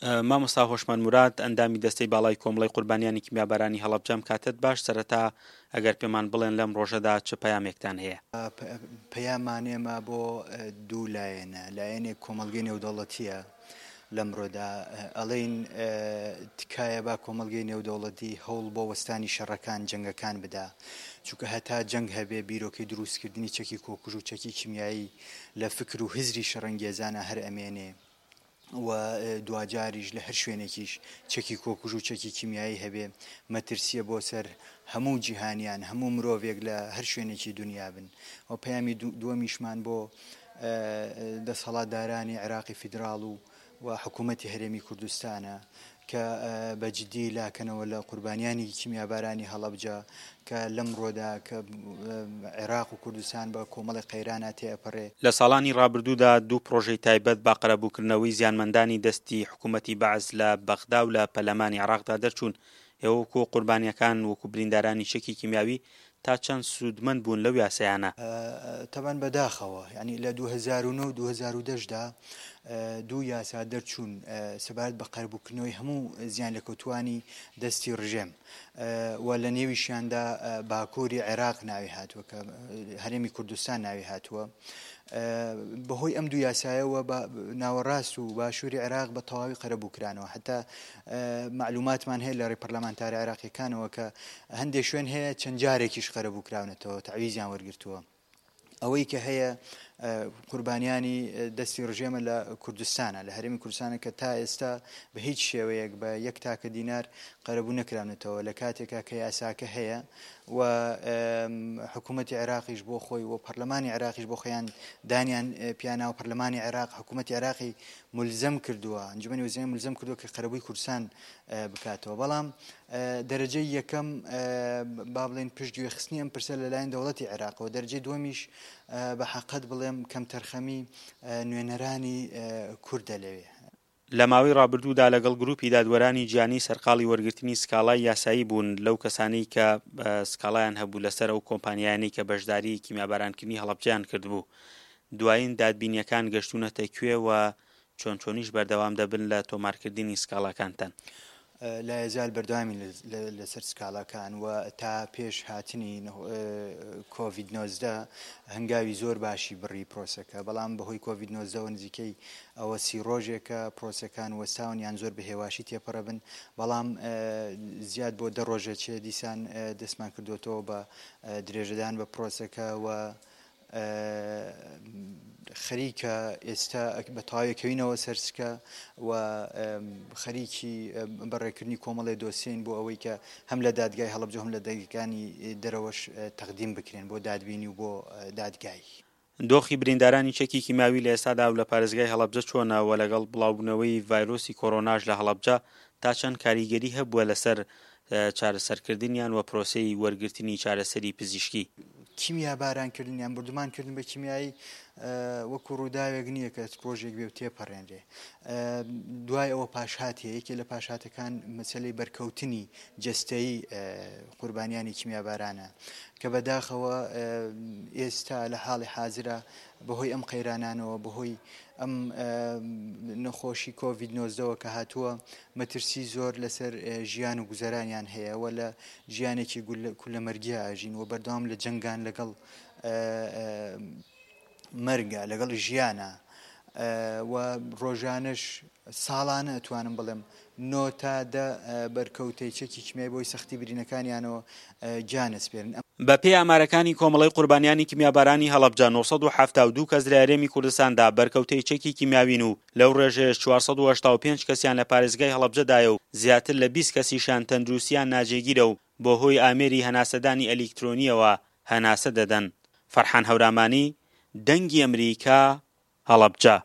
مامۆستا هۆشمەند موراد، ئەندامی دەستەی باڵای کۆمەڵەی قوربانیانی کیمیابارانی هەڵەبجە ئەم کاتەت باش، سەرەتا ئەگەر پێمان بڵێن لەم ڕۆژەدا چ پەیامێکتان هەیە؟ پەیامان ئێمە بۆ دوو لایەنە، لایەنێک کۆمەڵگەی نێودەوڵەتییە لەمڕۆدا ئەڵێین تکایە با کۆمەڵگەی نێودەوڵەتی هەوڵ بۆ وەستانی شەڕەکان، جەنگەکان بدا، چونکە هەتا جەنگ هەبێ بیرۆکەی دروستکردنی چەکی کۆکوژ و چەکی کیمیایی لە فکر و هزری شەڕەنگێزانا هەر ئەمێنێ. و دواجاریش لە هەر شوێنێکیش چەکی کۆکوژ و چەکی کیمیایی هەبێ مەترسیە بۆ سەر هەموو جیهانیان هەموو مرۆڤێک لە هەر شوێنێکی دنیا بن و پەیامی دووەمیشمان بۆ دەسەڵاتدارانی عێراقی فیدراڵ و و حکوومەتی هەرێمی کوردستانە کە بە جدی لاکەنەوە لە قوربانیانی کیمیابارانی هەڵەبجە کە لەمڕۆدا کە عێراق و کوردستان بە کۆمەڵێک قەیرانا تێئەپەڕێ. لە ساڵانی ڕابردوودا دوو پڕۆژەی تایبەت بە قەرەبووکردنەوەی زیانمەندانی دەستی حکوومەتی بەعس لە بەغدا و لە پەرلەمانی عێراقدا دەرچوون، ئێوە وەکوو قوربانییەکان، وەکوو بریندارانی چەکی کیمیاوی تا چەند سوودمەند بوون لەو یاسایانە؟ تەبعەن بەداخەوە یانی لە 2009 و 2010 دا دوو یاسا دەرچوون سەبارەت بە قەرەبووکردنەوەی هەموو زیانلێکەوتووانی دەستی ڕژێم و لە نێویشیاندا باکووری عێراق ناوی هاتووە کە هەرێمی کوردستان ناوی هاتووە. بەهۆی ئەم دوو یاسایەوە بە ناوەڕاست و باشووری عێراق بە تەواوی قەرەبوو کرانەوە حتا مەعلوماتمان هەیە لە ڕێی پەرلەمانتارە عێراقیەکانەوە کە هەندێک شوێن هەیە چەند جارێکیش قەرەبوو کراونەتەوە تەعویزیان وەرگرتووە ئەوەی کە هەیە قوربانیانی دەستی ڕژێمە لە کوردستانە لە هەرێمی کوردستانە کە تا ئێستا بە هیچ شێوەیەک بە یەک تاکە دینار قەرەبوو نەکراونەتەوە لە کاتێکا کە یاساکە هەیە و حکوومەتی عێراقیش بۆ خۆی و پەرلەمانی عێراقیش بۆ خۆیان دانیان پیاناوە پەرلەمانی عێراق حکوومەتی عێراقی ملزەم کردووە ئەنجومەنی وەزیرانی ملزەم کردووە کە قەرەبووی کوردستان بکاتەوە بەڵام دەرەجەی یەکەم با بڵێن پشتگوێخستنی ئەم پرسە لەلایەن دەوڵەتی عێراقەوە دەرەجەی دووەمیش بە حەقەت بڵێم کەمتەرخەمی نوێنەرانی کوردە لەوێ. لە ماوەی ڕابردوودا لەگەڵ گروپی دادوەرانی جیهانی سەرقاڵی وەرگرتنی سکاڵای یاسایی بوون لەو کەسانەی کە سکاڵایان هەبوو لەسەر ئەو کۆمپانیایانەی کە بەشداری کیمیابارانکردنی هەڵەبجەیان کردبوو. دوایین دادبینییەکان گەشتوونەتە کوێ و چۆن چۆنیش بەردەوام دەبن لە تۆمارکردنی سکاڵاکانتان؟ لایەزال بەردەوامین لەسەر سکاڵاکان و تا پێش هاتنی کۆڤید 19 هەنگاوی زۆر باشی بڕی پرۆسەکە، بەڵام بەهۆی کۆڤید 19 وە نزیکەی ئەوە سی ڕۆژێکە پرۆسەکان وەستاون یان زۆر بە هێواشی تێپەڕەبن، بەڵام زیاد بۆ دە ڕۆژە چێ دیسان دەستمان کردۆتەوە بە درێژەدان بە پرۆسەکە و خەریکە ئێستا بە تەواوی کەوینەوە سەر سکە و خەریکی بەڕێکردنی کۆمەڵێ دۆسیەین بۆ ئەوەی کە هەم لە دادگای هەڵەبجە هەم لە دادگاکانی دەرەوەش تەقدیم بکرێن بۆ دادبینی و بۆ دادگایی. دۆخی بریندارانی چەکی کیمیاوی لە ئێستادا و لە پارێزگای هەڵەبجە چۆنە و لەگەڵ بڵاوبوونەوەی ڤایرۆسی کۆرۆناش لە هەڵەبجە تا چەند کاریگەری هەبووە لەسەر چارەسەرکردنیان و پرۆسەی وەرگرتنی چارەسەری پزیشکی؟ کیمیاباران کردن یان بوردومان کردن بە کیمیایی وەکو ڕووداوێک نییە کە ڕۆژێک بێ و تێپەڕێنرێ دوای ئەوە پاشهات هەیە یەکێ لە پاشهاتەکان مەسەلەی بەرکەوتنی جەستەیی قوربانیانی کیمیابارانە کە بەداخەوە ئێستا لە حاڵی حازرە بەهۆی ئەم قەیرانانەوە بەهۆی ئەم نەخۆشی کۆڤید نۆزدەوە کە هاتووە مەترسی زۆر لەسەر ژیان و گوزەرانیان هەیە و لە ژیانێکی کولەمەرگیا ئەژین و بەردەوام لە جەنگان لەگەڵ مەرگە لەگەڵ ژیانە و ڕۆژانەش ساڵانە ئەتوانم بڵێم نۆ تا دە بەرکەوتەی چەکی کیمیای بۆی سەختی برینەکانیانەوە گیان ئەسپێرن. بە پێی ئامارەکانی کۆمەڵەی قوربانیانی کیمیابارانی هەڵەبجە 972 کەس لە هەرێمی کوردستاندا بەرکەوتەی چەکی کیمیاوین و لەو ڕێژەیەش 485 کەسیان لە پارێزگای هەڵەبجەدایە و زیاتر لە 20 کەسیشیان تەندروستیان ناجێگیرە و بەهۆی ئامێری هەناسەدانی ئەلیکترۆنییەوە هەناسە دەدەن. فەرحان هەورامانی، دەنگی ئەمریکا، هەڵەبجە.